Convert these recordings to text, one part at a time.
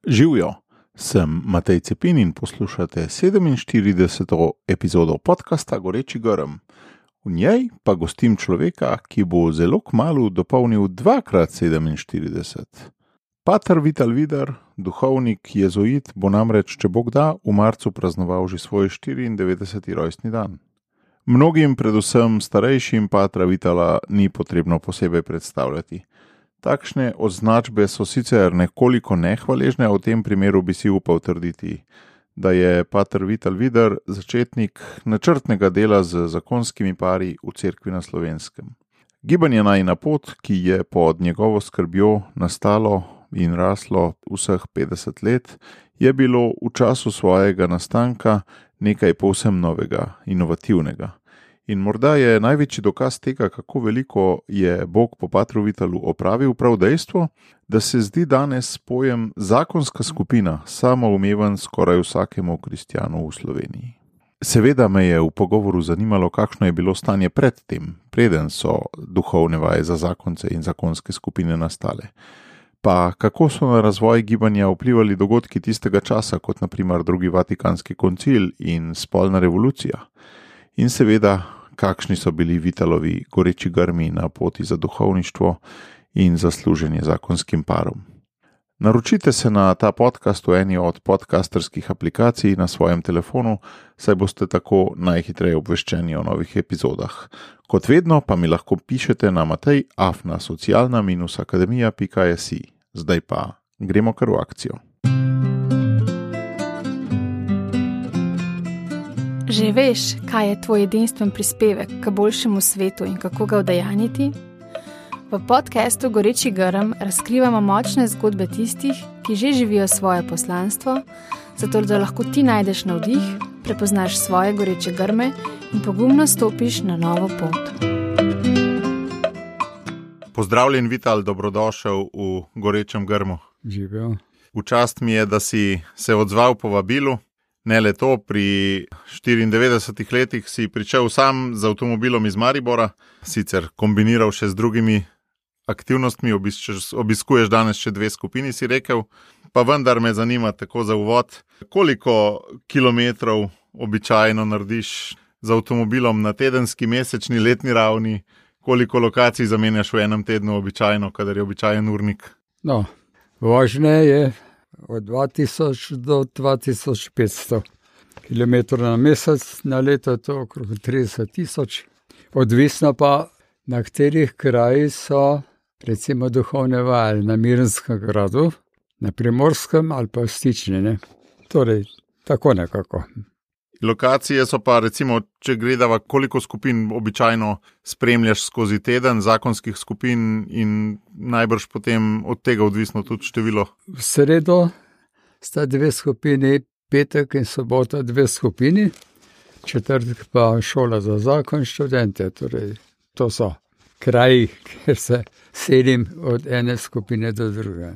Živjo, sem Matej Cepin in poslušate 47. epizodo podcasta Goreči grm. V njej pa gostim človeka, ki bo zelo kmalu dopolnil 2x47. Pater Vital Vidar, duhovnik jezuit, bo namreč, če Bog da, v marcu praznoval že svoj 94. rojstni dan. Mnogim, predvsem starejšim, patra Vitala ni potrebno posebej predstavljati. Takšne označbe so sicer nekoliko nehvaležne, a v tem primeru bi si upal trditi, da je pater Vital Vidar začetnik načrtnega dela z zakonskimi pari v cerkvi na Slovenskem. Gibanje Najina pot, ki je pod njegovo skrbjo nastalo in raslo vseh 50 let, je bilo v času svojega nastanka nekaj povsem novega, inovativnega. In morda je največji dokaz tega, kako veliko je Bog po patru Vitalu opravil, prav dejstvo, da se zdi danes pojem zakonska skupina samoumeven skoraj vsakemu kristjanu v Sloveniji. Seveda me je v pogovoru zanimalo, kakšno je bilo stanje pred tem, preden so duhovne vaje za zakonce in zakonske skupine nastale. Pa kako so na razvoj gibanja vplivali dogodki tistega časa, kot na primer drugi Vatikanski koncil in spolna revolucija. In seveda, kakšni so bili Vitalovi goreči grmi na poti za duhovništvo in za služenje zakonskim parom. Naročite se na ta podcast v eni od podcasterskih aplikacij na svojem telefonu, saj boste tako najhitreje obveščeni o novih epizodah. Kot vedno pa mi lahko pišete na matej@socialna-akademija.si. Zdaj pa gremo kar v akcijo. Že veš, kaj je tvoj edinstven prispevek k boljšemu svetu in kako ga udejanjiti? V podcastu Goreči grm razkrivamo močne zgodbe tistih, ki že živijo svoje poslanstvo, zato da lahko ti najdeš navdih, prepoznaš svoje goreče grme in pogumno stopiš na novo pot. Pozdravljen Vital, dobrodošel v Gorečem grmu. Živijo. V čast mi je, da si se odzval povabilu. Ne le to, pri 94 letih si pričel sam z avtomobilom iz Maribora, sicer kombiniral še z drugimi aktivnostmi, obiskuješ danes še 2 skupini, si rekel, pa vendar me zanima tako za uvod, koliko kilometrov običajno narediš z avtomobilom na tedenski, mesečni, letni ravni, koliko lokacij zamenjaš v enem tednu običajno, kadar je običajen urnik? No, vožnje je od 2000 do 2500 km na mesec, na leto je to okrog 30 000. Odvisno pa, na katerih krajih so recimo duhovne vaje, na Mirnskem gradu, na Primorskem ali pa v Stični, ne. Torej, tako nekako. Lokacije so pa recimo, če gledava, koliko skupin običajno spremljaš skozi teden, zakonskih skupin in najbrž potem od tega odvisno tudi število. V sredo sta 2 skupini, petek in sobota 2 skupini, četrtek pa šola za zakon, študente, torej to so kraji, kjer se selim od ene skupine do druge.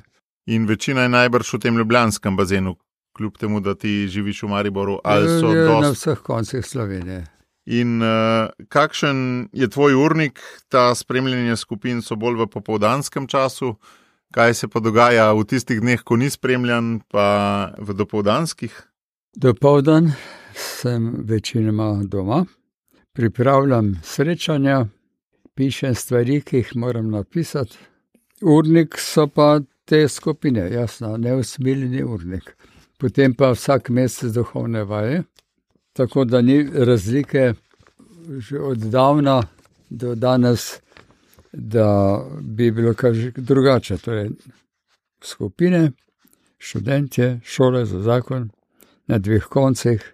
In večina je najbrž v tem ljubljanskem bazenu, kljub temu, da ti živiš v Mariboru, ali so na vseh koncih Slovenije. In kakšen je tvoj urnik? Ta spremljanje skupin so bolj v popoldanskem času. Kaj se pa dogaja v tistih dneh, ko ni spremljan, pa v dopoldanskih? Dopoldan sem večinoma doma, pripravljam srečanja, pišem stvari, ki jih moram napisati. Urnik so pa te skupine, jasno, neusmiljeni urnik. Potem pa vsak mesec duhovne vaje, tako da ni razlike že od davna do danes, da bi bilo kaj drugače. Torej, skupine, študentje, šole za zakon, na 2 koncih,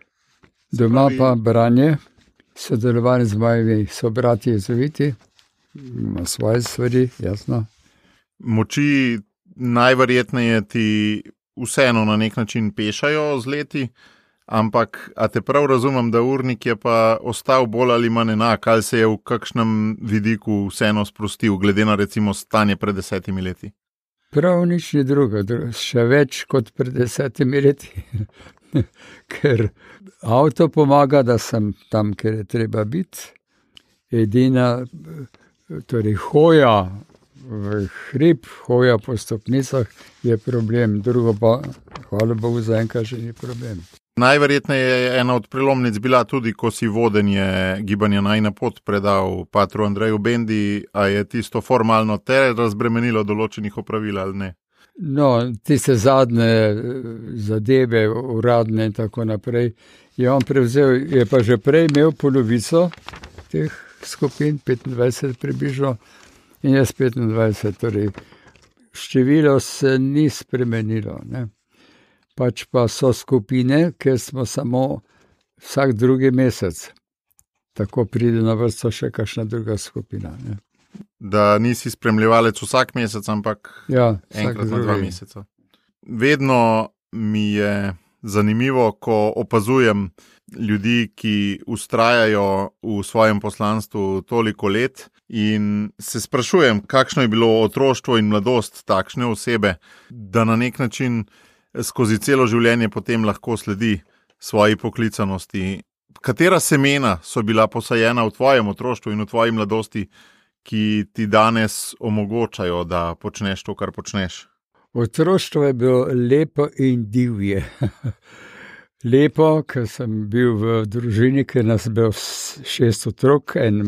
doma pa branje, sodelovanje z mojimi sobrati jezuiti, ima svoje stvari, jasno. Moči najverjetneje ti vseeno na nek način pešajo z leti, ampak a te prav razumem, da urnik je pa ostal bolj ali manj enak, ali se je v kakšnem vidiku vseeno sprostil, glede na recimo stanje pred 10 leti? Prav nič ni drugo, še več kot pred 10 leti, ker avto pomaga, da sem tam, kjer je treba biti. Edina, torej hoja v hrib, hoja po stopnicah je problem, drugo pa hvala Bogu, zaenkrat že ni problem. Najverjetneje je ena od prelomnic bila tudi, ko si vodenje gibanja Najina pot predal patru Andreju Bendi, a je tisto formalno te razbremenilo določenih opravil ali ne? No, tiste zadnje zadeve, uradne in tako naprej, je on prevzel, je pa že prej imel polovico teh skupin, 25 približno, in jaz 25, torej število se ni spremenilo, ne. Pač pa so skupine, ker smo samo vsak drugi mesec. Tako pride na vrsto še kakšna druga skupina, ne. Da nisi spremljevalec vsak mesec, ampak enkrat na 2 meseca. Vedno mi je zanimivo, ko opazujem ljudi, ki vztrajajo v svojem poslanstvu toliko let in se sprašujem, kakšno je bilo otroštvo in mladost takšne osebe, da na nek način skozi celo življenje potem lahko sledi svoji poklicanosti. Katera semena so bila posajena v tvojem otroštvu in v tvoji mladosti, ki ti danes omogočajo, da počneš to, kar počneš? Otroštvo je bilo lepo in divje. Lepo, ker sem bil v družini, ker nas je bilo 6 otrok, en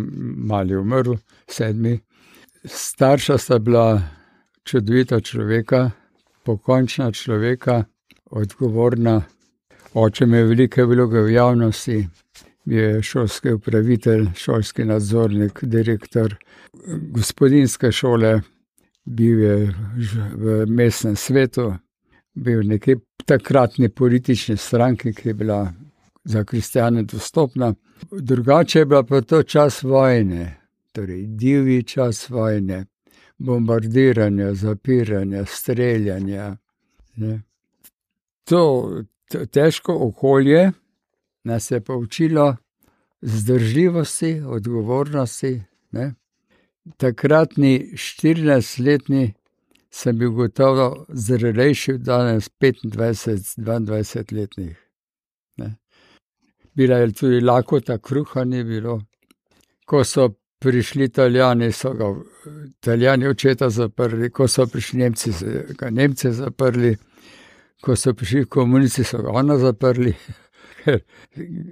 mali umrl, 7. Starša sta bila čudovita človeka, pokončna človeka, odgovorna. Oče mi je velike vloge v javnosti, bil je šolski upravitelj, šolski nadzornik, direktor gospodinjske šole, bil je v mestnem svetu, bil nekje takratni politični stranki, ki je bila za kristjane dostopna. Drugače je bila pa to čas vojne, torej divji čas vojne. Bombardiranja, zapiranja, streljanja. Ne. To težko okolje nas je poučilo zdržljivosti, odgovornosti. Ne. Takratni 14-letni sem bil gotovo zrelejši od danes 25-22-letnih. Bila je tudi lakota, kruha ni bilo. Ko so prišli Italijani, so ga Italijani očeta zaprli, ko so prišli Nemci, so ga Nemce zaprli, ko so prišli komunisti, so ga ona zaprli, ker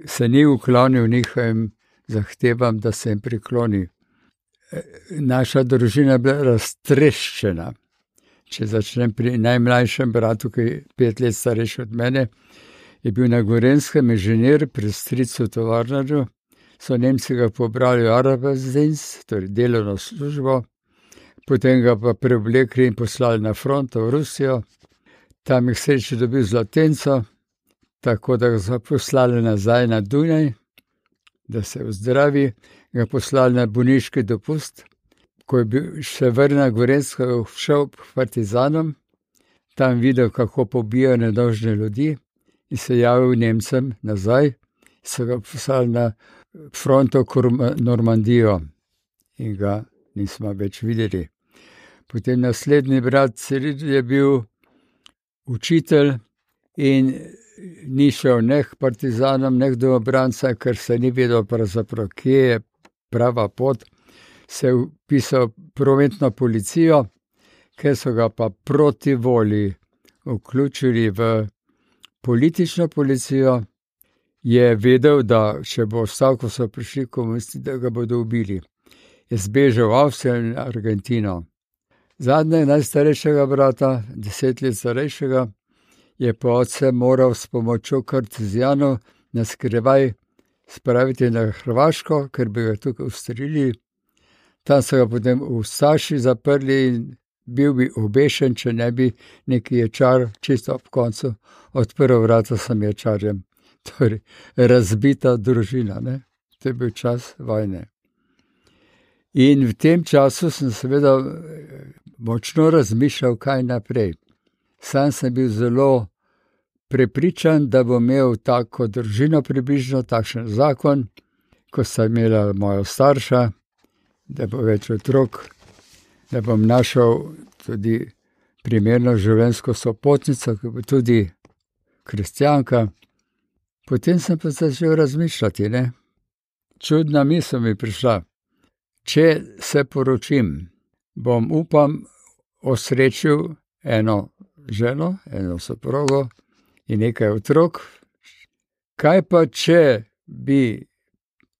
se ni uklonil njihovim zahtevam, da se jim prikloni. Naša družina je bila raztreščena. Če začnem pri najmlajšem bratu, ki je 5 let starejši od mene, je bil na Gorenjskem inženir pri stricu tovarnarju. So Nemci ga pobrali v Arbeitsdienst, torej delovno službo, potem ga pa preoblekli in poslali na front v Rusijo. Tam jih sreče dobil zlatenco, tako da ga so poslali nazaj na Dunaj, da se vzdravi, ga poslali na bolniški dopust. Ko je bil še vrnil na Gorenjsko, šel k partizanom, tam videl, kako pobijajo nedolžne ljudi in se javil Nemcem nazaj, so ga poslali na fronto Normandijo in ga nismo več videli. Potem naslednji brat Ciril je bil učitelj in ni šel ne k partizanom, ne k domobrancem, ker se ni vedel pravzaprav, kje je prava pot. Se je vpisal prometno policijo, ker so ga pa proti volji vključili v politično policijo, je vedel, da če bo ostal, ko so prišli komunisti, da ga bodo ubili. Je zbežal v Avstrijo in Argentino. Zadnjega najstarejšega brata, 10 let starejšega, je pa oče moral s pomočjo kartuzijanov na skrivaj spraviti na Hrvaško, ker bi ga tukaj ustrelili. Tam so ga potem v Saši zaprli in bil bi obešen, če ne bi neki ječar čisto ob koncu odprl vrata sem ječarjem. Torej, razbita družina, ne? To je bil čas vojne. In v tem času sem seveda močno razmišljal, kaj naprej. Sam sem bil zelo prepričan, da bom imel tako družino približno, takšen zakon, ko sta imela moja starša, da bo več otrok, da bom našel tudi primerno življenjsko sopotnico, ki bo tudi kristjanka. Potem sem pa začel razmišljati, ne. Čudna misel mi prišla. Če se poročim, bom, upam, osrečil eno ženo, eno soprogo, in nekaj otrok. Kaj pa, če bi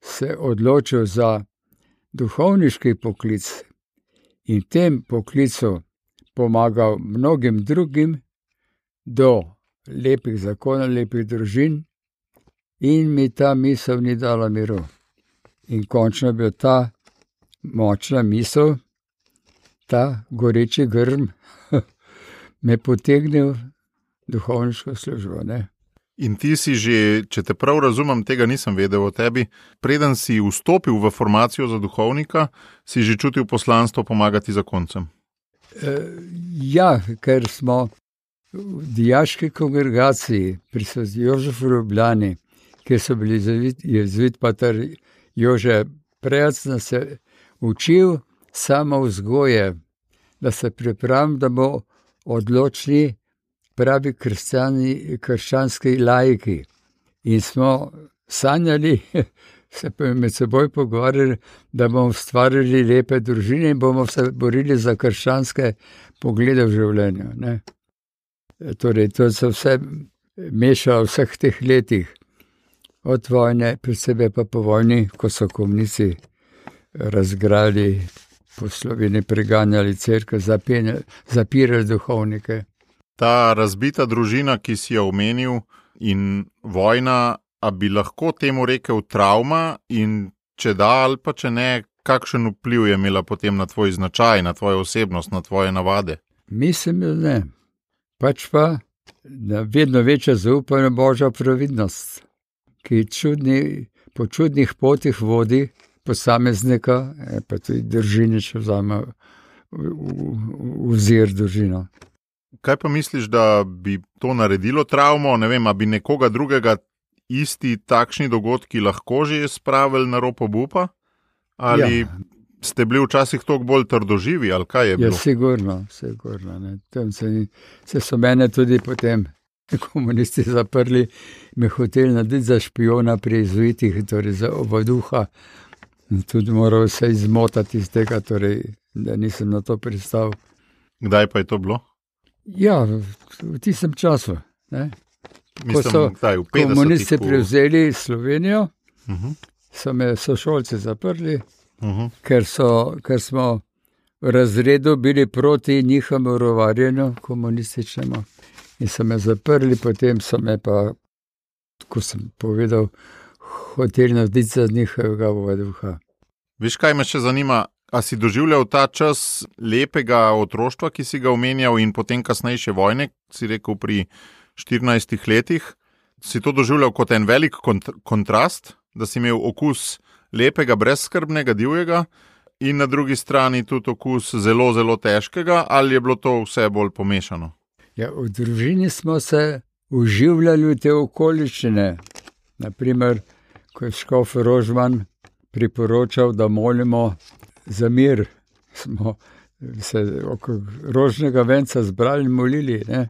se odločil za duhovniški poklic in tem poklicu pomagal mnogim drugim do lepih zakonov, lepih družin, in mi ta misel ni dala miru. In končno bi ta močna misel, ta goreči grm, me potegnil v duhovniško službo, ne. In ti si že, če te prav razumem, tega nisem vedel o tebi, preden si vstopil v formacijo za duhovnika, si že čutil poslanstvo pomagati zakoncem. Ja, ker smo v dijaški kongregaciji pri Sveti Jožefu v Ljubljani, kjer so bili jezuit pater Jože Prejac, nas je učil samovzgoje, da se pripravim, da bo odločni pravi krščanski laiki. In smo sanjali, se pa med seboj pogovarjali, da bomo ustvarili lepe družine in bomo se borili za krščanske poglede v življenju, ne. Torej, to se vse mešalo v vseh teh letih. Od vojne, posebej pa po vojni, ko so komunisti razgrali po Sloveniji, preganjali cerkev, zapirali duhovnike. Ta razbita družina, ki si jo omenil, in vojna, a bi lahko temu rekel travma, in če da ali pa če ne, kakšen vpliv je imela potem na tvoj značaj, na tvojo osebnost, na tvoje navade? Mislim, da ne. Pač pa, da vedno večja zaupanje Božja previdnost, ki po čudnih potih vodi posameznika, pa tudi družine, če vzame vzir družino. Kaj pa misliš, da bi to naredilo travmo? Ne vem, a bi nekoga drugega isti takšni dogodki lahko že spravili na rob obupa? Ali ste bili včasih toliko bolj trdoživi, ali kaj je bilo? Ja, sigurno. Ne. Tam se so mene tudi potem komunisti zaprli, me hoteli narediti za špijona pri jezuitih, torej za ovaduha. Tudi moral se izmotati iz tega, torej, da nisem na to pristal. Kdaj pa je to bilo? Ja, v tistem času. Ne. Ko so komunisti prevzeli Slovenijo, so me sošolci zaprli, ker smo v razredu bili proti njihovemu rovarjenju komunističnemu. In so me zaprli, potem so me pa, ko sem povedal, hoteli narediti za njihovega ovaduha. Veš, kaj me še zanima? A si doživljal ta čas lepega otroštva, ki si ga omenjal, in potem kasnejše vojne, si rekel pri 14 letih, si to doživljal kot en velik kontrast, da si imel okus lepega, brezskrbnega, divjega, in na drugi strani tudi okus zelo, zelo težkega, ali je bilo to vse bolj pomešano? Ja, v družini smo se uživljali v te okoliščine. Naprimer, ko je škof Rožman priporočal, da molimo za mir, smo se okrog rožnega venca zbrali in molili, ne.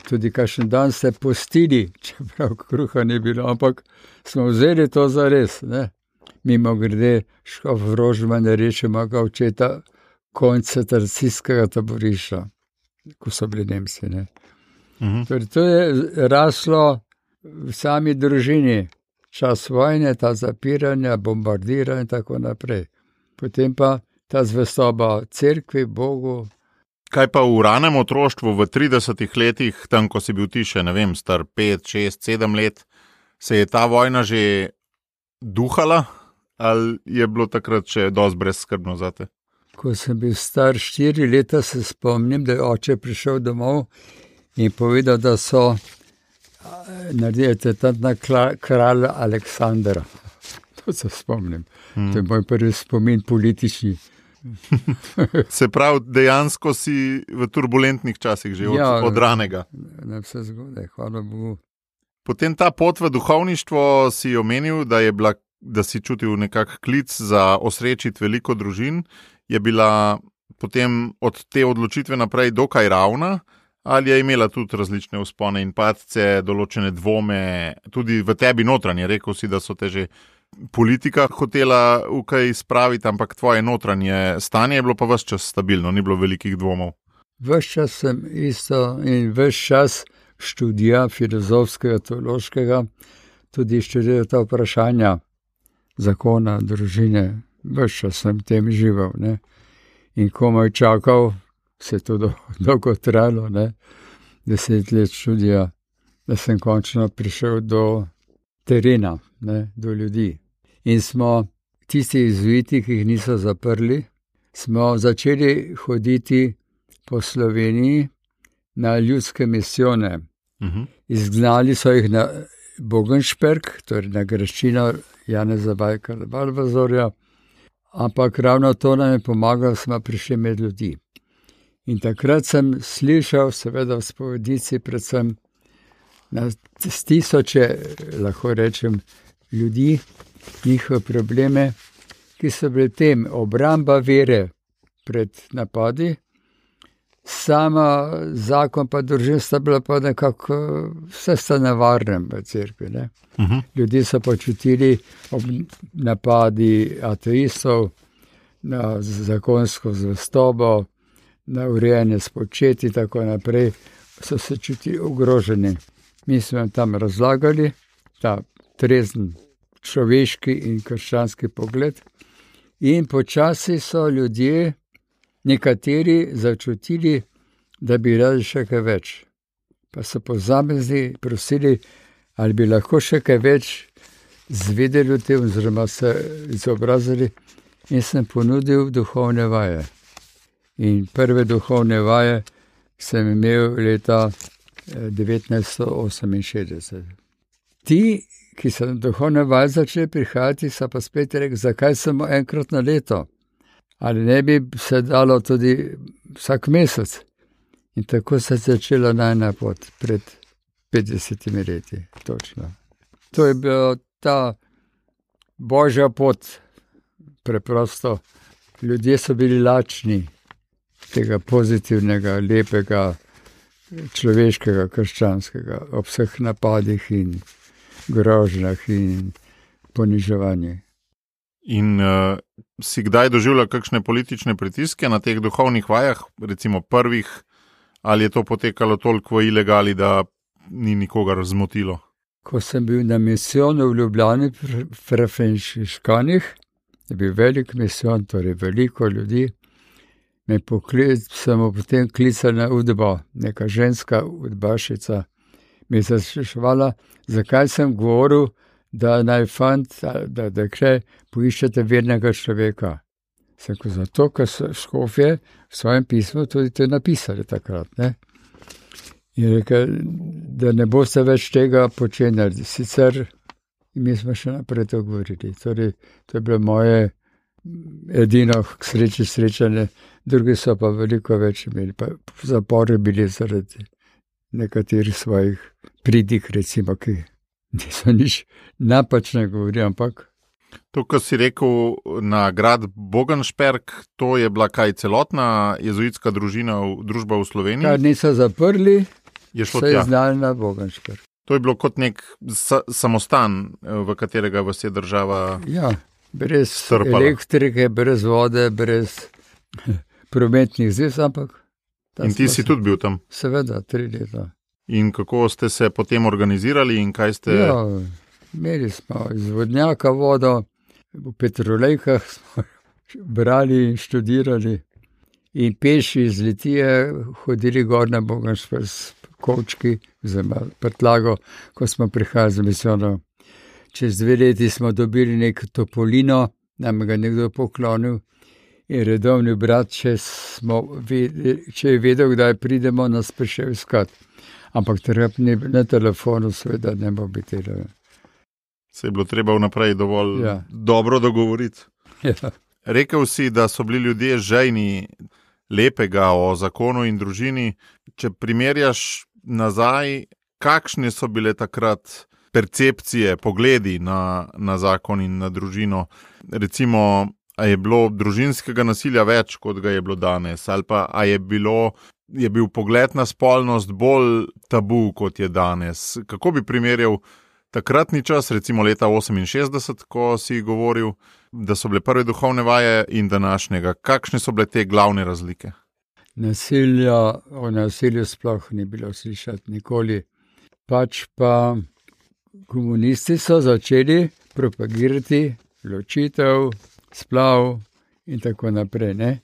Tudi kakšen dan se postili, čeprav kruha ni bilo, ampak smo vzeli to za res, ne. Mimogrede, škof Rožman je reče mojega očeta koncentracijskega taborišča, ko so bili Nemci, ne. Torej, to je raslo v sami družini. Čas vojne, ta zapiranja, bombardiranja in tako naprej. Potem pa ta zvestoba cerkvi, Bogu. Kaj pa v ranem otroštvu, v 30 letih, tam, ko si bil ti še, ne vem, star 5, 6, 7 let, se je ta vojna že duhala, ali je bilo takrat še dosti brezskrbno zate? Ko sem bil star 4 leta, se spomnim, da je oče prišel domov in povedal, da so naredili tetantna kralja Aleksandra. To se spomnim. To je moj prvi spomin politični. Se pravi, dejansko si v turbulentnih časih že od ranega. Na vse zgodaj, hvala Bogu. Potem ta pot v duhovništvo si omenil, da si čutil nekak klic za osrečiti veliko družin. Je bila potem od te odločitve naprej dokaj ravna, ali je imela tudi različne vzpone in padce, določene dvome, tudi v tebi notranje? Rekel si, da so te že politika hotela v kaj spraviti, ampak tvoje notranje stanje je bilo pa ves čas stabilno, ni bilo velikih dvomov. Ves čas sem isto in ves čas študija filozofskega, teološkega, tudi študiral ta vprašanja zakona, družine, ves čas sem tem živel, ne. In komaj čakal, se je to dolgo trajalo, ne, 10 let študija, da sem končno prišel do terena, ne, do ljudi. In smo tisti jezuiti, ki jih niso zaprli, smo začeli hoditi po Sloveniji na ljudske misijone. Izgnali so jih na Bogenšperk, torej na graščino Janeza Valvazorja, ampak ravno to nam je pomagalo, smo prišli med ljudi. In takrat sem slišal, seveda v spovednici, predvsem na tisoče, lahko rečem, ljudi, njihove probleme, ki so bili tem obramba vere pred napadi, sama zakon pa družina sta bila pa nekako vse sta nevarnem v cerkvi, ne. Ljudje so počutili ob napadi ateistov na zakonsko zvestobo, na urejanje spočeti in tako naprej, so se čutili ogroženi. Mi smo jim tam razlagali ta trezen človeški in krščanski pogled in počasi so ljudje, nekateri začutili, da bi radi še kaj več. Pa so posamezni prosili, ali bi lahko še kaj več zvedeli o tem, oziroma se izobrazili, in sem ponudil duhovne vaje. In prve duhovne vaje sem imel leta 1968. Ti, ki so na duhovne vaje začeli prihajati, so pa spet rekli, zakaj samo enkrat na leto? Ali ne bi se dalo tudi vsak mesec? In tako se je začela najina pot pred 50 leti, točno. To je bila ta božja pot, preprosto. Ljudje so bili lačni tega pozitivnega, lepega, človeškega, krščanskega, ob vseh napadih in grožnjah in poniževanjih. In si kdaj doživljal kakšne politične pritiske na teh duhovnih vajah, recimo prvih, ali je to potekalo toliko v ilegali, da ni nikogar zmotilo? Ko sem bil na misijonu v Ljubljani pri frančiškanih, je bil velik misijon, torej veliko ljudi, sem potem klical na udbo, neka ženska udbašica mi je spraševala, zakaj sem govoril, da naj fant, da dekle poiščete vernega človeka. Sem rekel, zato, ker so škofje v svojem pismu tudi to napisali takrat, ne. In rekel, da ne boste več tega počenjali. Sicer mi smo še naprej to govorili. Torej, to je bilo moje edino srečanje, drugi so pa veliko več imeli. Pa v zaporu bili zaradi nekaterih svojih pridig, recimo, ki niso nič napačne govorili, ampak. To, kar si rekel na grad Bogenšperk, to je bila kaj celotna jezuitska družba v Sloveniji? Kar niso zaprli, so je znali na Bogenšperk. To je bilo kot nek samostan, v katerega vas je država brez strpala. Elektrike, brez vode, brez prometnih zvez, ampak. In ti si tudi bil tam? Seveda, 3 leta. In kako ste se potem organizirali in kaj ste? Imeli smo iz vodnjaka vodo, v petrolejkah smo brali in študirali in peši iz Litije hodili gor na Bogenšperk s kovčki, oziroma prtlago, ko smo prihajali z misijonom. Čez 2 leti smo dobili nek topolino, nam ga nekdo poklonil in redovni brat, če je vedel, kdaj pridemo, nas prišel iskat. Ampak na telefonu seveda ne bo biti. Se je bilo treba vnaprej dovolj dobro dogovoriti. Rekel si, da so bili ljudje žejni lepega o zakonu in družini. Če primerjaš nazaj, kakšne so bile takrat percepcije, pogledi na zakon in na družino? Recimo, a je bilo družinskega nasilja več, kot ga je bilo danes? Ali pa a je bil pogled na spolnost bolj tabu, kot je danes? Kako bi primerjal takratni čas, recimo leta 68, ko si govoril, da so bile prve duhovne vaje, in današnjega? Kakšne so bile te glavne razlike? O nasilju sploh ni bilo slišati nikoli. Pač pa komunisti so začeli propagirati ločitev, splav in tako naprej, ne.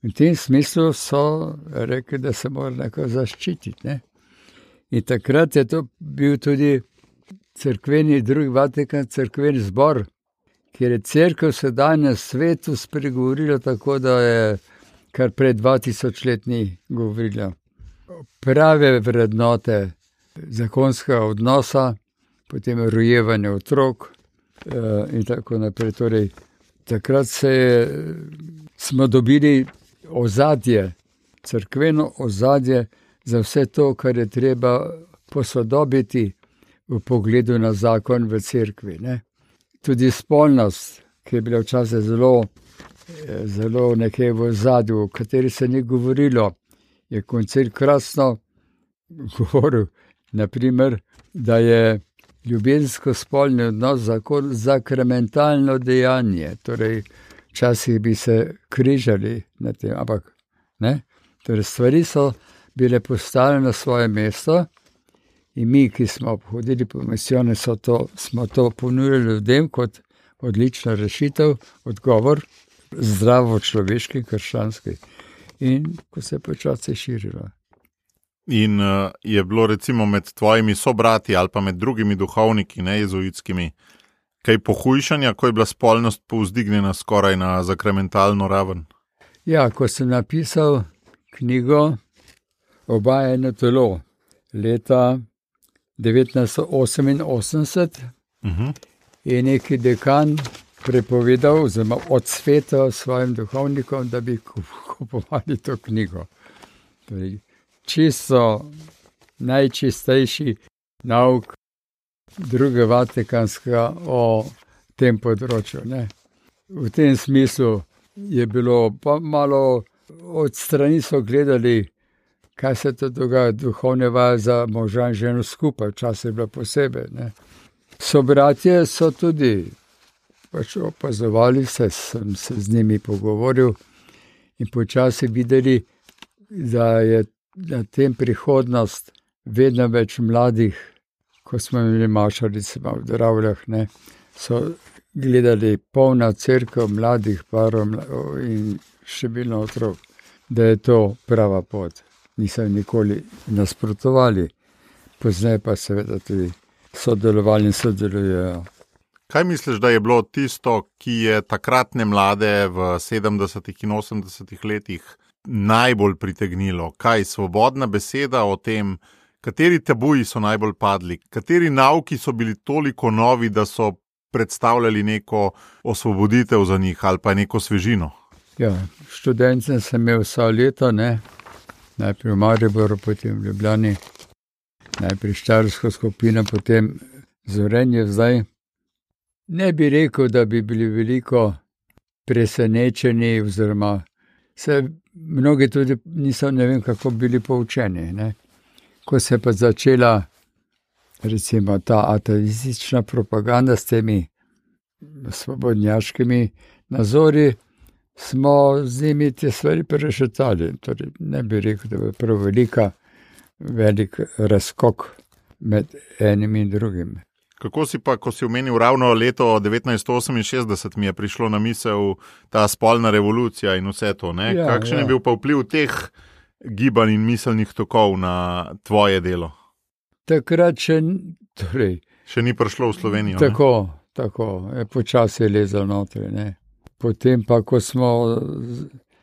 V tem smislu so rekli, da se mora nekako zaščititi, ne. In takrat je to bil tudi drugi Vatikan, cerkveni zbor, kjer je cerkev sedaj na svetu spregovorila tako, da je kar pred 2000 let ni govorila. Prave vrednote zakonskega odnosa, potem rojevanje otrok in tako naprej. Torej, takrat smo dobili ozadje, cerkveno ozadje za vse to, kar je treba posodobiti v pogledu na zakon v cerkvi, ne. Tudi spolnost, ki je bila včasih zelo nekaj v ozadju, o kateri se ni govorilo, je koncil krasno govoril, naprimer, da je ljubezensko-spolni odnos zakramentalno dejanje. Torej, včasih bi se križali na tem, ampak ne. Torej, stvari so bile postavljene na svoje mesto in mi, ki smo hodili po misijone, smo to ponujali ljudem kot odlična rešitev, odgovor, zdravo človeški, krščanski. In ko se je počasi širilo. In je bilo recimo med tvojimi sobrati ali pa med drugimi duhovniki, ne jezuitskimi, kaj pohujšanja, ko je bila spolnost povzdignjena skoraj na zakramentalno raven? Ja, ko sem napisal knjigo Oba eno telo, leta 1988, je neki dekan prepovedal, oziroma odsvetal svojim duhovnikom, da bi kupovali to knjigo. Torej, čisto najčistejši nauk drugega Vatikanskega o tem področju, ne. V tem smislu je bilo pa malo, od strani so gledali, kaj se to dogaja, duhovne vaje za moža in ženo skupaj, včasih je bilo posebej, ne. Sobratje so tudi pač opazovali, sem se z njimi pogovoril in počasi videli, da je na tem prihodnost vedno več mladih, ko smo imeli mašarice v Dravljah, ne, so gledali polna cerkev mladih parov in številno otrok, da je to prava pot. Niso nikoli nasprotovali, pozneje pa seveda tudi sodelovali in sodelujejo. Kaj misliš, da je bilo tisto, ki je takratne mlade v 70. in 80. letih najbolj pritegnilo? Kaj, svobodna beseda o tem, kateri tabuji so najbolj padli, kateri nauki so bili toliko novi, da so predstavljali neko osvoboditev za njih ali pa neko svežino? Ja, študencem sem imel vsa leta, ne, najprej v Mariboru, potem v Ljubljani, najprej štajersko skupino, potem Zorenje zdaj. Ne bi rekel, da bi bili veliko presenečeni, oziroma mnogi tudi niso, ne vem kako, bili poučeni, ne. Ko se je pa začela recimo ta ateistična propaganda s temi svobodnjaškimi nazori, smo z njimi te stvari prešetali. Torej, ne bi rekel, da je prav velik razskok med enim in drugim. Kako si pa, ko si omenil ravno leto 1968, mi je prišlo na misel ta spolna revolucija in vse to, ne? Ja, kakšen je bil pa vpliv teh gibanj in miselnih tokov na tvoje delo? Takrat še ni prišlo v Slovenijo. Tako, počasi je lezel notri, ne. Potem pa, ko smo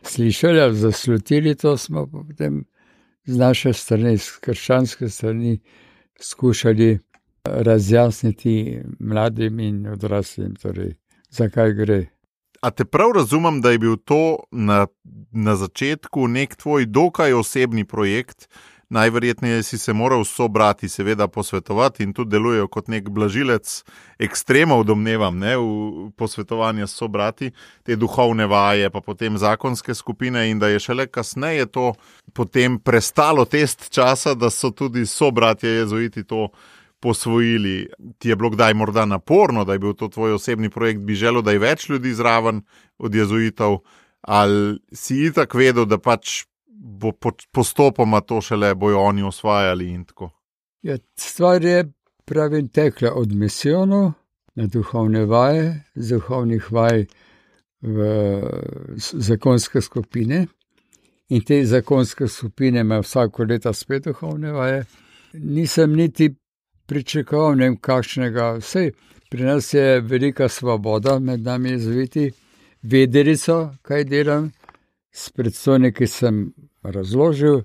slišali, zaslutili to, smo potem z naše strani, z krščanske strani, skušali razjasniti mladim in odraslim, torej, zakaj gre. A te prav razumem, da je bil to na začetku nek tvoj dokaj osebni projekt? Najverjetneje si se moral s sobrati seveda posvetovati in tudi delujejo kot nek blažilec ekstremov, domnevam, ne, v posvetovanje s sobrati, te duhovne vaje, pa potem zakonske skupine, in da je šele kasneje to potem prestalo test časa, da so tudi sobratje jezuiti to posvojili. Ti je bilo kdaj morda naporno, da je bil to tvoj osebni projekt, bi želel, da je več ljudi zraven od jezuitov, ali si itak vedel, da pač bo postopoma to šele bojo oni osvajali in tako? Ja, stvar je, pravim, tekla od misijonov na duhovne vaje, z duhovnih vaj v zakonske skupine. In te zakonske skupine imajo vsako leto spet duhovne vaje. Nisem niti pričakoval, ne vem kakšnega. Vsej, pri nas je velika svoboda med nami zviti. Vedelico, kaj delam, s predstojniki sem razložil,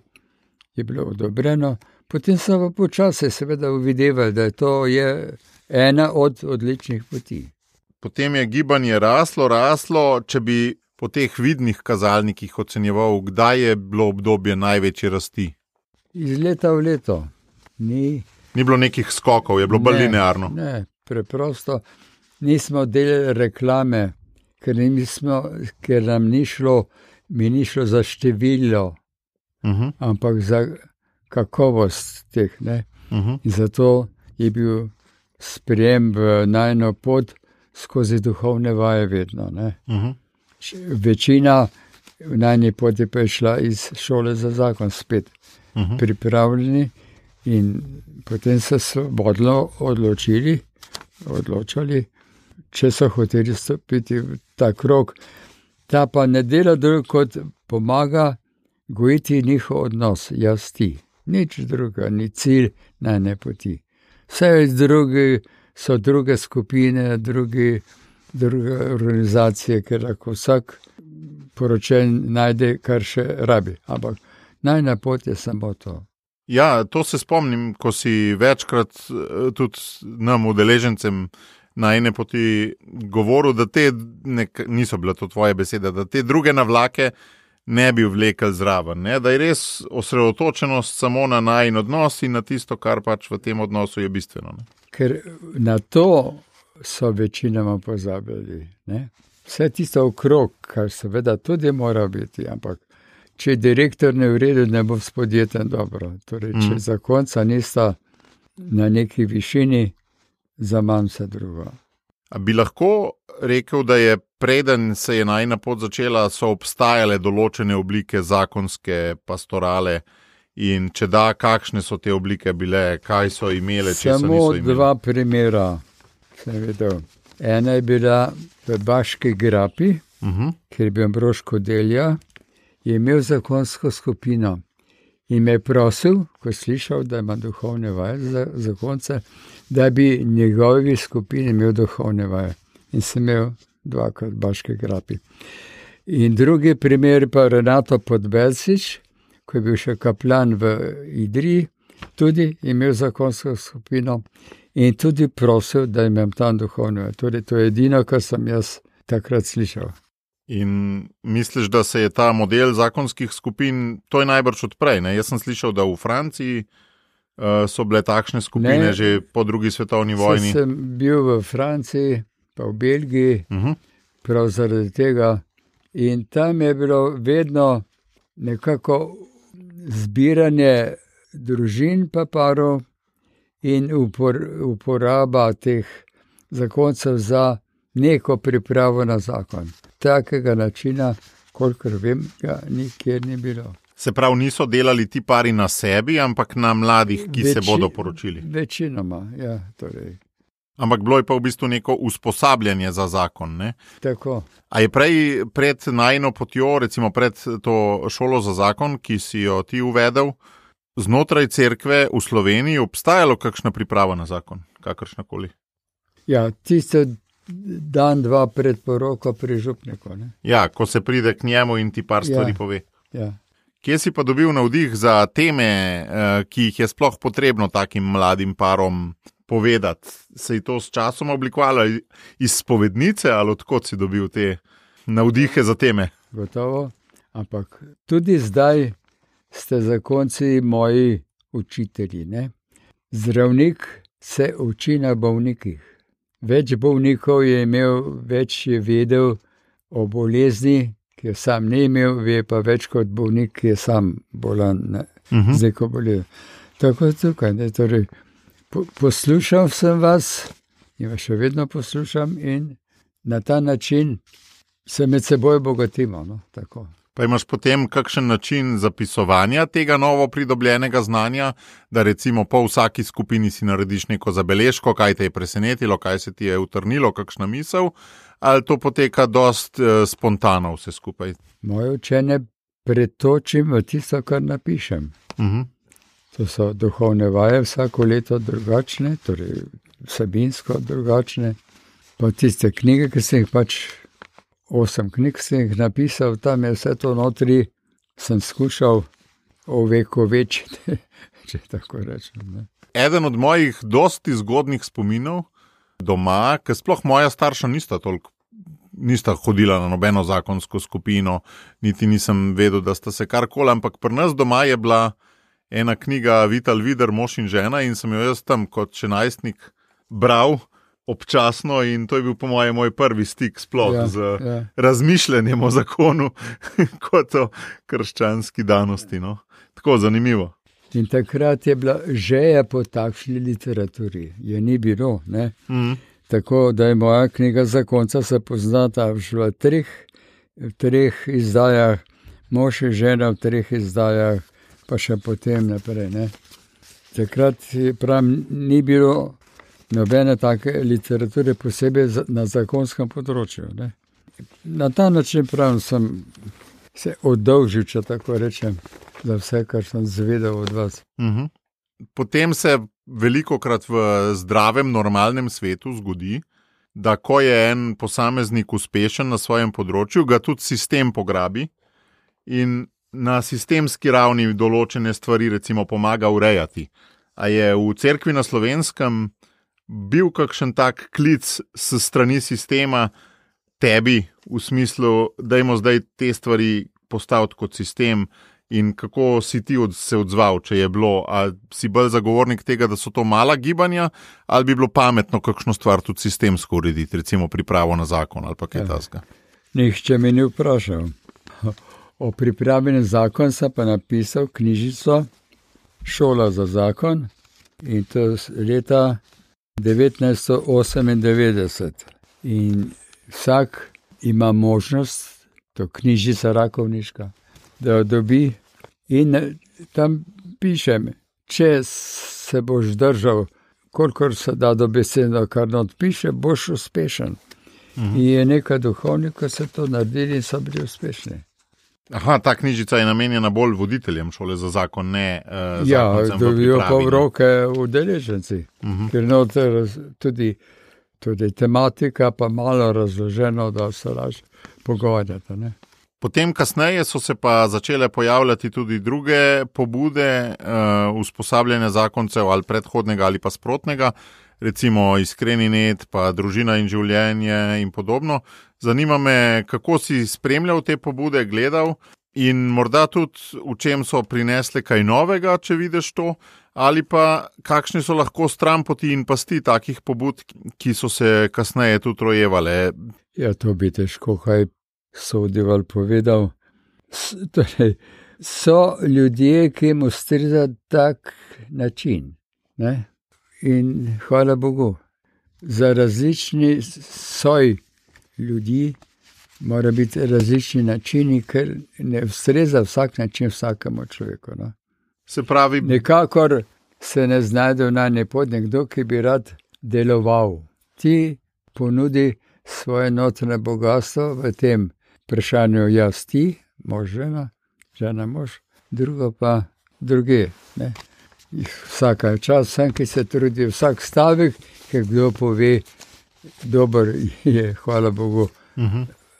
je bilo odobreno. Potem sem pa počasi seveda uvideval, da to je ena od odličnih poti. Potem je gibanje raslo, če bi po teh vidnih kazalnikih ocenjeval, kdaj je bilo obdobje največje rasti? Iz leta v leto. Ni bilo nekih skokov, je bilo bolj linearno? Ne, preprosto nismo delali reklame, ker nam ni šlo za število, ampak za kakovost teh. In zato je bil sprejem v najno pot skozi duhovne vaje vedno. Večina v najni poti pa je šla iz šole za zakon spet pripravljeni in potem se svobodno odločali, če so hoteli stopiti v ta krog. Ta pa ne dela drug, kot pomaga gojiti njihov odnos, jaz ti. Nič druga, ni cilj najne poti. Vse drugi so druge skupine, druge organizacije, ker lahko vsak poročen najde, kar še rabi. Ampak najna pot je samo to. Ja, to se spomnim, ko si večkrat tudi nam udeležencem na ene poti govoril, da niso bile to tvoje besede, da te druge navlake ne bi vlekli zraven, ne? Da je res osredotočenost samo na najin odnos in na tisto, kar pač v tem odnosu je bistveno. Ne? Ker na to so večinoma pozabili. Ne? Vse tisto okrog, kar seveda tudi mora biti, ampak če direktor ne vredi, ne bo s podjetjem dobro. Torej, če zakonca nista na neki višini, za manj vse drugo. A bi lahko rekel, da je preden se je najina pot začela, so obstajale določene oblike zakonske pastorale in če da, kakšne so te oblike bile, kaj so imele, če so niso imele? Samo dva primera sem videl. Ena je bila v Baški grapi, kjer je bil Ambrož Kodelja, je imel zakonsko skupino in me je prosil, ko je slišal, da ima duhovne vaje za zakonce, da bi njegovi skupini imel duhovne vaje. In sem imel dvakrat Baške grapi. In drugi primer pa Renato Podbelsič, ko je bil še kaplan v Idriji, tudi imel zakonsko skupino in tudi prosil, da imam tam duhovne vaje. Torej, to je edino, kar sem jaz takrat slišal. In misliš, da se je ta model zakonskih skupin, to je najbrž odprej, ne? Jaz sem slišal, da v Franciji so bile takšne skupine že po drugi svetovni vojni. Sem bil v Franciji, pa v Belgiji, prav zaradi tega. In tam je bilo vedno nekako zbiranje družin pa parov in uporaba teh zakoncev za neko pripravo na zakon. Takega načina, kolikor vem, ga nikjer ni bilo. Se pravi, niso delali ti pari na sebi, ampak na mladih, ki se bodo poročili? Večinoma, ja. Torej. Ampak bilo je pa v bistvu neko usposabljanje za zakon, ne? Tako. A je pred najino potjo, recimo pred to šolo za zakon, ki si jo ti uvedel, znotraj cerkve v Sloveniji obstajalo kakšna priprava na zakon, kakršnakoli? Ja, tisto dan, dva pred poroko pri župniku. Ne? Ja, ko se pride k njemu in ti par stvari pove. Ja. Kje si pa dobil navdih za teme, ki jih je sploh potrebno takim mladim parom povedati? Se je to s časom oblikovalo iz spovednice ali odkot si dobil te navdihe za teme? Gotovo, ampak tudi zdaj ste zakonci moji učitelji. Ne? Zdravnik se uči na bolnikih. Več bolnikov je imel, več je vedel o bolezni, ki jo sam ne imel, ve pa več kot bolnik, ki je sam bolan, z neko boleznjo. Tako tukaj, ne, torej, poslušal sem vas in vas še vedno poslušam in na ta način se med seboj bogatimo. No, tako. Pa imaš potem kakšen način zapisovanja tega novo pridobljenega znanja, da recimo po vsaki skupini si narediš neko zabeležko, kaj te je presenetilo, kaj se ti je utrnilo, kakšna misel, ali to poteka dost spontano vse skupaj? Moje učenje pretočim v tisto, kar napišem. To so duhovne vaje vsako leto drugačne, torej vsebinsko drugačne. Pa tiste knjige, ki sem jih 8 knjig sem jih napisal, tam je vse to notri, sem skušal ovekovečiti, če tako rečem. Ne. Eden od mojih dosti zgodnih spominov doma, ker sploh moja starša nista hodila na nobeno zakonsko skupino, niti nisem vedel, da sta se karkoli, ampak pri nas doma je bila ena knjiga Vital Vider, mož in žena, in sem jo jaz tam kot še najstnik bral občasno, in to je bil po mojem moj prvi stik sploh z razmišljanjem o zakonu kot o krščanski danosti. No. Tako zanimivo. In takrat je bila želja po takšni literaturi. Je ni bilo, ne? Tako da je moja knjiga Zakonca se poznata v treh izdajah, mož in žena v 3 izdajah, pa še potem naprej. Ne? Takrat ni bilo nobene take literature posebej na zakonskem področju. Ne? Na ta način sem se oddolžil, če tako rečem, za vse, kar sem zvedel od vas. Potem se velikokrat v zdravem, normalnem svetu zgodi, da ko je en posameznik uspešen na svojem področju, ga tudi sistem pograbi in na sistemski ravni določene stvari recimo pomaga urejati. A je v cerkvi na Slovenskem bil kakšen tak klic s strani sistema tebi v smislu, dajmo zdaj te stvari postaviti kot sistem, in kako si ti se odzval, če je bilo, ali si bolj zagovornik tega, da so to mala gibanja, ali bi bilo pametno kakšno stvar tudi sistemsko urediti, recimo pripravo na zakon ali pa kaj takega? Nihče me ni vprašal. O pripravi na zakon sem pa napisal knjižico Šola za zakon, in to leta 1998. In vsak ima možnost, to knjižica rakovniška, da jo dobi, in tam pišem, če se boš držal, kolikor se da do besedno, kar not piše, boš uspešen. In je nekaj duhovnikov se to naredili in so bili uspešni. Aha, ta knjižica je namenjena bolj voditeljem šole za zakon, ne zakoncem v pripravi. Ja, dobijo pa v roke udeleženci, ker noter tudi tematika pa malo razloženo, da se lažje pogovarjate, ne. Potem kasneje so se pa začele pojavljati tudi druge pobude usposabljanja zakoncev ali predhodnega ali pa sprotnega, recimo Iskreni net, pa Družina in življenje in podobno. Zanima me, kako si spremljal te pobude, gledal in morda tudi v čem so prinesle kaj novega, če vidiš to, ali pa kakšni so lahko stranpoti in pasti takih pobud, ki so se kasneje tudi rojevale. Ja, to bi težko kaj sodil ali povedal. Torej, so ljudje, ki jim ustreza tak način, ne? In hvala Bogu, za različni soj ljudi mora biti različni načini, ker ne ustreza vsak način vsakemu človeku. No? Se pravi, nikakor se ne znajde v najni pot nekdo, ki bi rad deloval. Ti ponudi svoje notranje bogatstvo v tem vprašanju jaz ti, mož žena, žena mož, drugo pa druge. Ne? Vsaka čas, vsem, ki se trudi, vsak stavek, ki kdo pove, dober je, hvala Bogu,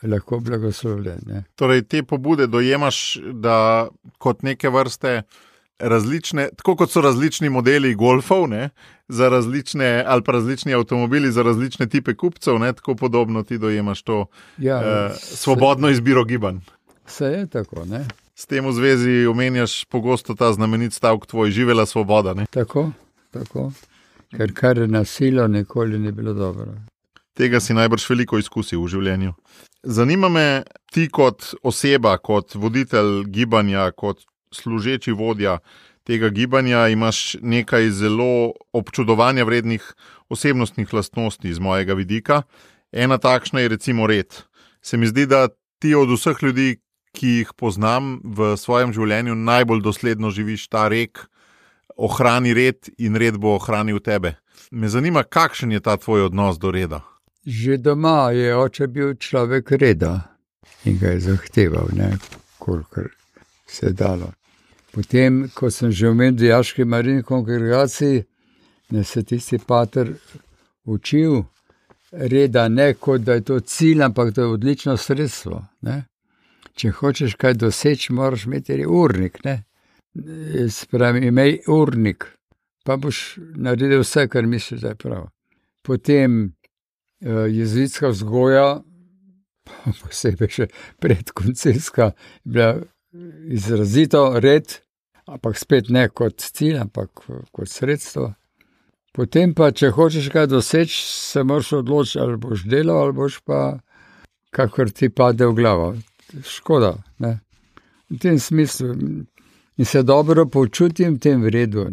lahko blagoslovljen. Ne? Torej, te pobude dojemaš, da kot neke vrste različne, tako kot so različni modeli golfov, ne, za različne, ali pa različni avtomobili za različne tipe kupcev, ne, tako podobno ti dojemaš to svobodno izbiro gibanj. Se je tako, ne. S tem v zvezi omenjaš pogosto ta znamenit stavek tvoj, živela svoboda, ne? Tako. Ker kar nasilo nikoli ni bilo dobro. Tega si najbrž veliko izkusil v življenju. Zanima me, ti kot oseba, kot voditelj gibanja, kot služeči vodja tega gibanja, imaš nekaj zelo občudovanja vrednih osebnostnih lastnosti z mojega vidika. Ena takšna je recimo red. Se mi zdi, da ti od vseh ljudi, ki jih poznam v svojem življenju, najbolj dosledno živiš ta rek, ohrani red in red bo ohranil tebe. Me zanima, kakšen je ta tvoj odnos do reda? Že doma je oče bil človek reda in ga je zahteval, kolikor se je dalo. Potem, ko sem že v dijaški marini kongregaciji, se tisti pater učil reda, ne kot da je to cilj, ampak da je odlično sredstvo. Če hočeš kaj doseči, moraš imeti urnik. Spravi, imej urnik, pa boš naredil vse, kar misliš, da je prav. Potem jezuitska vzgoja, posebej še predkoncilska, je bila izrazito red, ampak spet ne kot cilj, ampak kot sredstvo. Potem pa, če hočeš kaj doseči, se moraš odločiti, ali boš delal, ali boš pa kakor ti pade v glavo. Škoda, v tem smislu. In se dobro počutim v tem redu,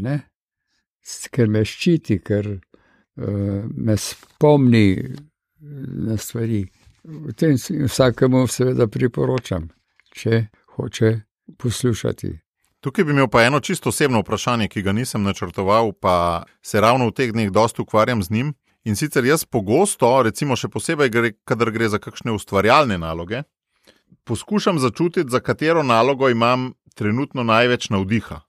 ker me ščiti, ker me spomni na stvari. V tem vsakemu seveda priporočam, če hoče poslušati. Tukaj bi imel pa eno čisto osebno vprašanje, ki ga nisem načrtoval, pa se ravno v teh dneh dosti ukvarjam z njim. In sicer jaz pogosto, recimo še posebej, kadar gre za kakšne ustvarjalne naloge, poskušam začutiti, za katero nalogo imam trenutno največ navdiha.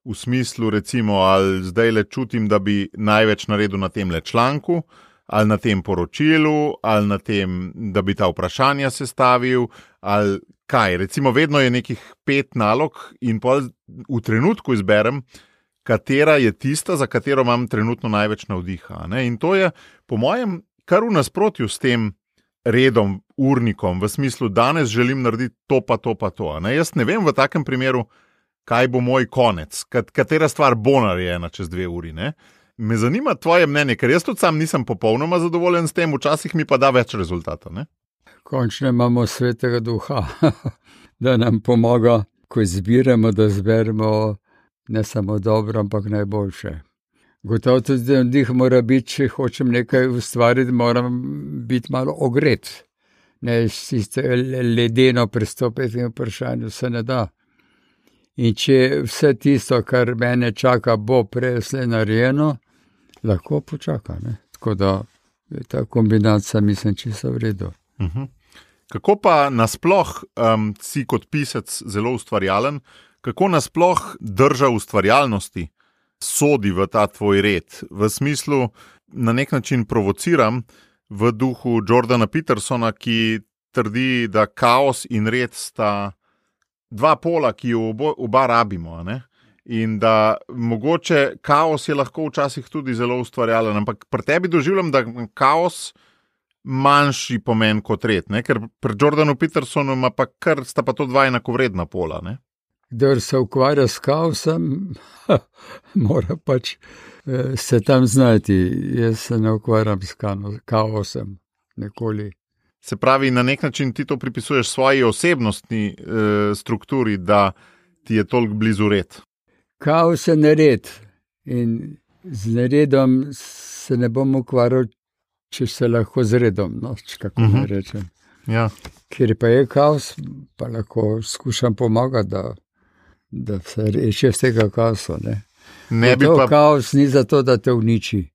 V smislu, recimo, ali zdaj le čutim, da bi največ naredil na tem članku, ali na tem poročilu, ali na tem, da bi ta vprašanja sestavil, ali kaj. Recimo, vedno je nekih 5 nalog in pol v trenutku izberem, katera je tista, za katero imam trenutno največ navdiha. In to je, po mojem, kar v nasprotju s tem redom, urnikom, v smislu, danes želim narediti to pa to pa to. Jaz ne vem v takem primeru, kaj bo moj konec, katera stvar bo narejena čez 2 uri. Me zanima tvoje mnenje, ker jaz tudi sam nisem popolnoma zadovoljen s tem, včasih mi pa da več rezultata. Končno imamo svetega duha, da nam pomaga, ko izbiramo, da zberemo ne samo dobro, ampak najboljše. Gotovo tudi navdih mora biti, če hočem nekaj ustvariti, moram biti malo ogret. Ne sicer ledeno pristopiti in vprašanju se ne da. In če vse tisto, kar mene čaka, bo presle narejeno, lahko počaka. Tako da je ta kombinacija, mislim, čisto v redu. Kako pa nasploh si kot pisec zelo ustvarjalen, kako nasploh drža ustvarjalnosti sodi v ta tvoj red? V smislu, na nek način provociram v duhu Jordana Petersona, ki trdi, da kaos in red sta 2 pola, ki jo oba rabimo. In da mogoče kaos je lahko včasih tudi zelo ustvarjalen, ampak pri tebi doživljam, da kaos manjši pomen kot red, ker pri Jordanu Petersonu sta pa to 2 enakovredna pola. Kdor se ukvarja s kaosom, mora pač se tam znati. Jaz se ne ukvarjam s kaosom nikoli. Se pravi, na nek način ti to pripisuješ svoji osebnostni strukturi, da ti je toliko blizu red. Kaos je nered in z neredom se ne bom ukvarjal, če se lahko z redom, kako ne rečem. Ja. Ker pa je kaos, pa lahko skušam pomagati, da se reši z tega kaosa. Kaos ni zato, da te uniči,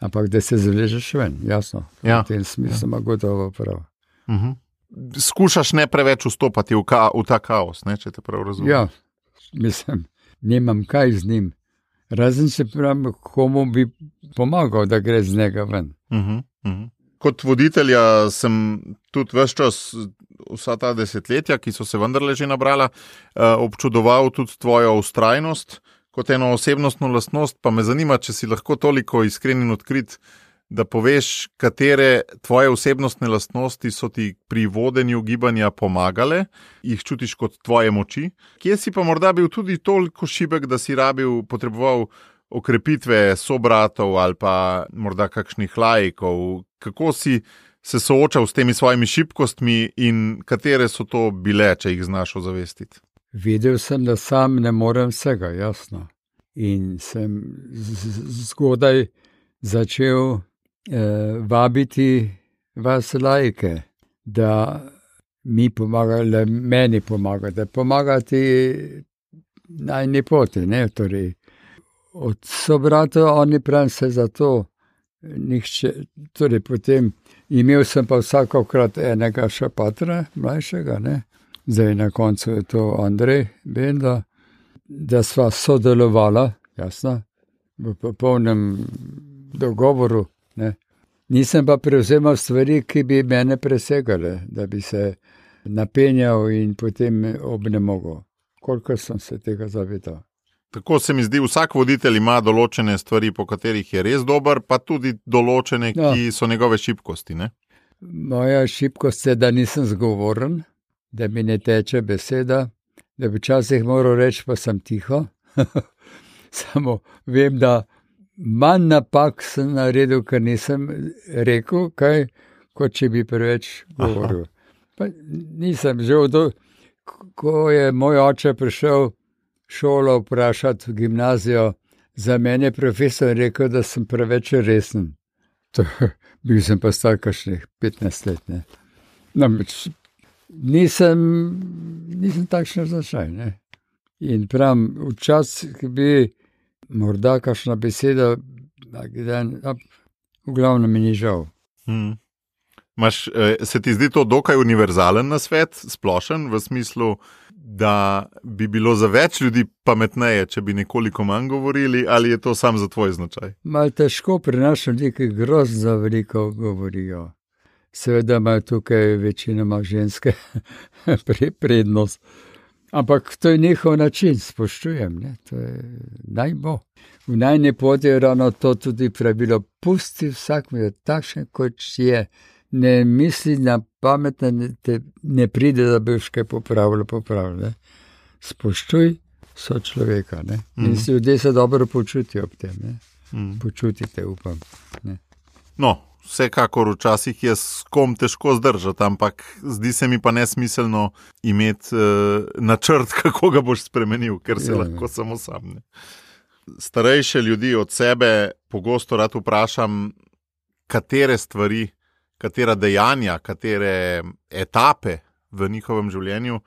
ampak da se zavležeš ven, jasno. Ja. V tem smislu ima gotovo prav. Skušaš ne preveč vstopati v ta kaos, če te prav razumem. Ja, mislim, nimam kaj z njim. Razen se pravim, komu bi pomagal, da gre z njega ven. Kot voditelja sem tudi ves čas, vsa ta desetletja, ki so se vendarle že nabrala, občudoval tudi tvojo vztrajnost kot eno osebnostno lastnost, pa me zanima, če si lahko toliko iskren in odkrit, da poveš, katere tvoje osebnostne lastnosti so ti pri vodenju gibanja pomagale, jih čutiš kot tvoje moči, kje si pa morda bil tudi toliko šibek, da si potreboval okrepitve sobratov ali pa morda kakšnih laikov. Kako si se soočal s temi svojimi šibkostmi in katere so to bile, če jih znaš ozavestiti? Videl sem, da sam ne morem vsega, jasno. In sem zgodaj začel vabiti vas laike, da mi pomagali, meni pomagati, pomagati najni poti, ne, torej. Od sobratov, oni pravim se za to, nihče, torej potem imel sem pa vsakokrat enega še patra, mlajšega, ne, zdaj na koncu je to Andrej Benda, da sva sodelovala, jasno, v popolnem dogovoru, ne. Nisem pa prevzemal stvari, ki bi mene presegale, da bi se napenjal in potem obnemogel. Koliko sem se tega zavedal. Tako se mi zdi, vsak voditelj ima določene stvari, po katerih je res dober, pa tudi določene, ki so njegove šibkosti, ne? Moja šibkost je, da nisem zgovoren, da mi ne teče beseda, da bi včasih moral reči, pa sem tiho. Samo vem, da manj napak sem naredil, ker nisem rekel kaj, kot če bi preveč govoril. Pa nisem že ko je moj oče prišel šolo vprašati v gimnazijo, za mene je profesor rekel, da sem preveč resen. Bil sem pa star kakšnih 15 let, ne. Namreč nisem takšen značaj, ne. In pravim, včasih bi morda kakšna beseda, v glavnem mi ni žal. Se ti zdi to dokaj univerzalen nasvet, splošen, v smislu, da bi bilo za več ljudi pametneje, če bi nekoliko manj govorili, ali je to sam za tvoj značaj? Malo težko pri nas ljudi, ki grozno veliko govorijo. Seveda imajo tukaj večinoma ženske prednost. Ampak to je njihov način, spoštujem, ne? To je naj bo. V najni poti je ravno to tudi pravilo, pusti vsak mi je takšen, kot je. Ne misli na pametne, ne pride, da bi kaj popravil. Ne? Spoštuj sočloveka, ne? In si ljudje se dobro počutijo ob tem, ne? Počutite, upam. Ne? No, vsekakor včasih je s kom težko zdržati, ampak zdi se mi pa nesmiselno imeti načrt, kako ga boš spremenil, ker se lahko samo sam. Ne? Starejše ljudi od sebe pogosto rad vprašam, katere stvari, katera dejanja, katere etape v njihovem življenju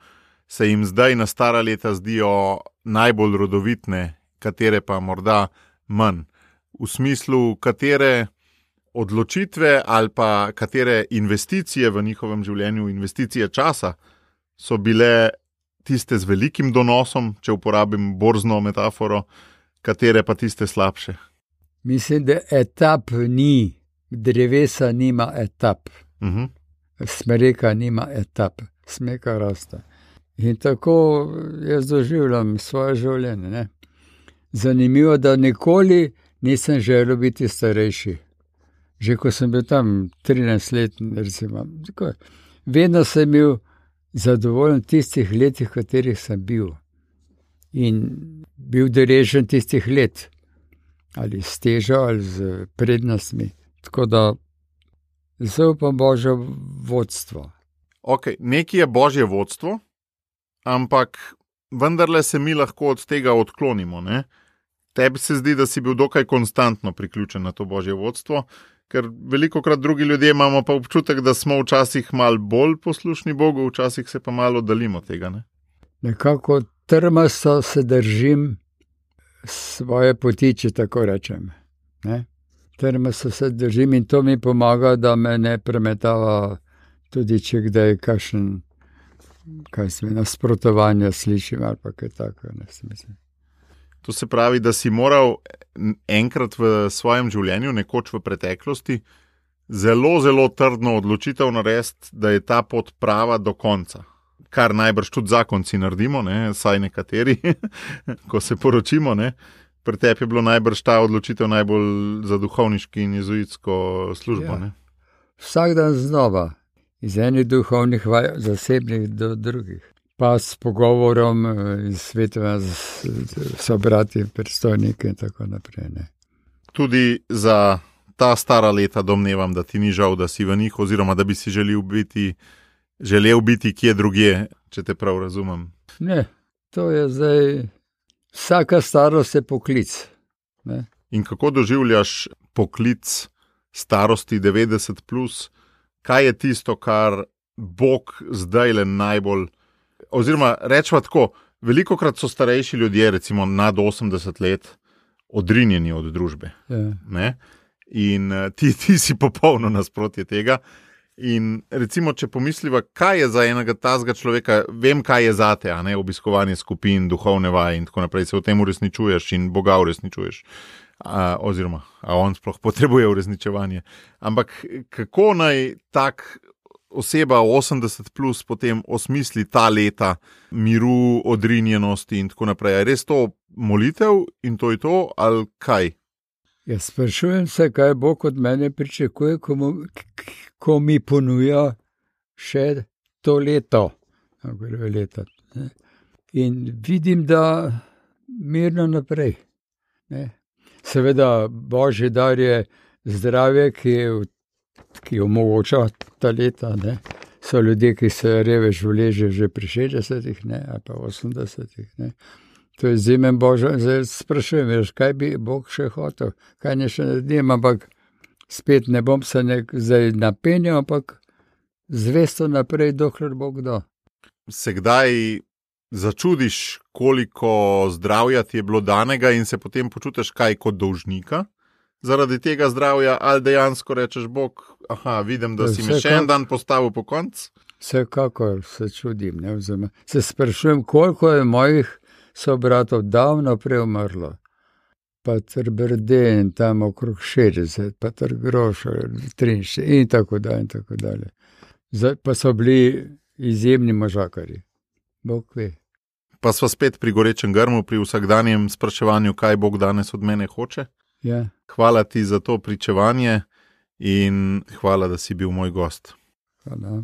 se jim zdaj na stara leta zdijo najbolj rodovitne, katere pa morda manj. V smislu, katere odločitve ali pa katere investicije v njihovem življenju, investicije časa, so bile tiste z velikim donosom, če uporabim borzno metaforo, katere pa tiste slabše. Mislim, da etap ni. Drevesa nima etap. Smreka nima etap. Smreka raste. In tako jaz doživljam svoje življenje. Ne? Zanimivo, da nikoli nisem želel biti starejši. Že ko sem bil tam 13 let, recimo. Vedno sem bil zadovoljen tistih letih, v katerih sem bil. In bil deležen tistih let. Ali s težo, ali z prednostmi. Tako da zaupam Božje vodstvo. Ok, nekaj je Božje vodstvo, ampak vendarle se mi lahko od tega odklonimo, ne? Tebi se zdi, da si bil dokaj konstantno priključen na to Božje vodstvo, ker velikokrat drugi ljudje imamo pa občutek, da smo včasih malo bolj poslušni Bogu, včasih se pa malo oddalimo tega, ne? Nekako trmasto se držim svoje poti, če tako rečem, ne? Trmasto se držim in to mi pomaga, da me ne premetava tudi, če kdaj kakšen, nasprotovanja slišim ali pa kaj tako, ne mislim. To se pravi, da si moral enkrat v svojem življenju, nekoč v preteklosti, zelo, zelo trdno odločitev narediti, da je ta pot prava do konca. Kar najbrž tudi zakonci naredimo, ne, saj nekateri, ko se poročimo, ne. Pri tebi je bilo najbrž ta odločitev najbolj za duhovniški in jezuitsko službo, ne? Vsak dan znova, iz enih duhovnih vaj, zasebnih do drugih. Pa s pogovorom in svetovanjem z sobrati, predstojniki in tako naprej, ne. Tudi za ta stara leta domnevam, da ti ni žal, da si v njih, oziroma da bi si želel biti kje drugje, če te prav razumem. Ne, to je zdaj... Vsaka starost je poklic. Ne? In kako doživljaš poklic starosti 90+? Kaj je tisto, kar Bog zdaj le najbolj, oziroma rečemo tako, velikokrat so starejši ljudje, recimo nad 80 let, odrinjeni od družbe. Ne? In ti si popolno nasprotje tega. In recimo, če pomisliva, kaj je za enega tazga človeka, vem, kaj je zate, a ne, obiskovanje skupin, duhovne vaje in tako naprej, se v tem uresničuješ in Boga uresničuješ. Oziroma, a on sploh potrebuje uresničevanje. Ampak kako naj tak oseba 80 plus potem osmisli ta leta miru, odrinjenosti in tako naprej? Je res to molitev in to je to, ali kaj? Jaz sprašujem se, kaj Bog od mene pričakuje, ko mi ponuja še to leto. In vidim, da mirno naprej. Seveda, Božji dar je zdravje, ki omogoča ta leta. Ne? So ljudje, ki se revež vleže že pri 60-ih, ali pa 80-ih. Ne? To je izjemen Božji. Zdaj sprašujem, kaj bi Bog še hotel, kaj ne še naredim, ampak spet ne bom se zdaj napenjal, ampak zvesto naprej, dokler Bog da. Se kdaj začudiš, koliko zdravja ti je bilo danega in se potem počutiš kaj kot dolžnika zaradi tega zdravja, ali dejansko rečeš Bog, vidim, da si mi še en dan postavil po konc? Vsekakor se čudim, ne? Se sprašujem, koliko je mojih sobratov davno prej umrlo. Patr Brden, tam okrog 60, Patr Grošar, 43 in tako dalje. Zdaj pa so bili izjemni možakarji. Bog ve. Pa sva spet pri gorečem grmu, pri vsakdanjem spraševanju, kaj Bog danes od mene hoče. Ja. Hvala ti za to pričevanje in hvala, da si bil moj gost. Hvala.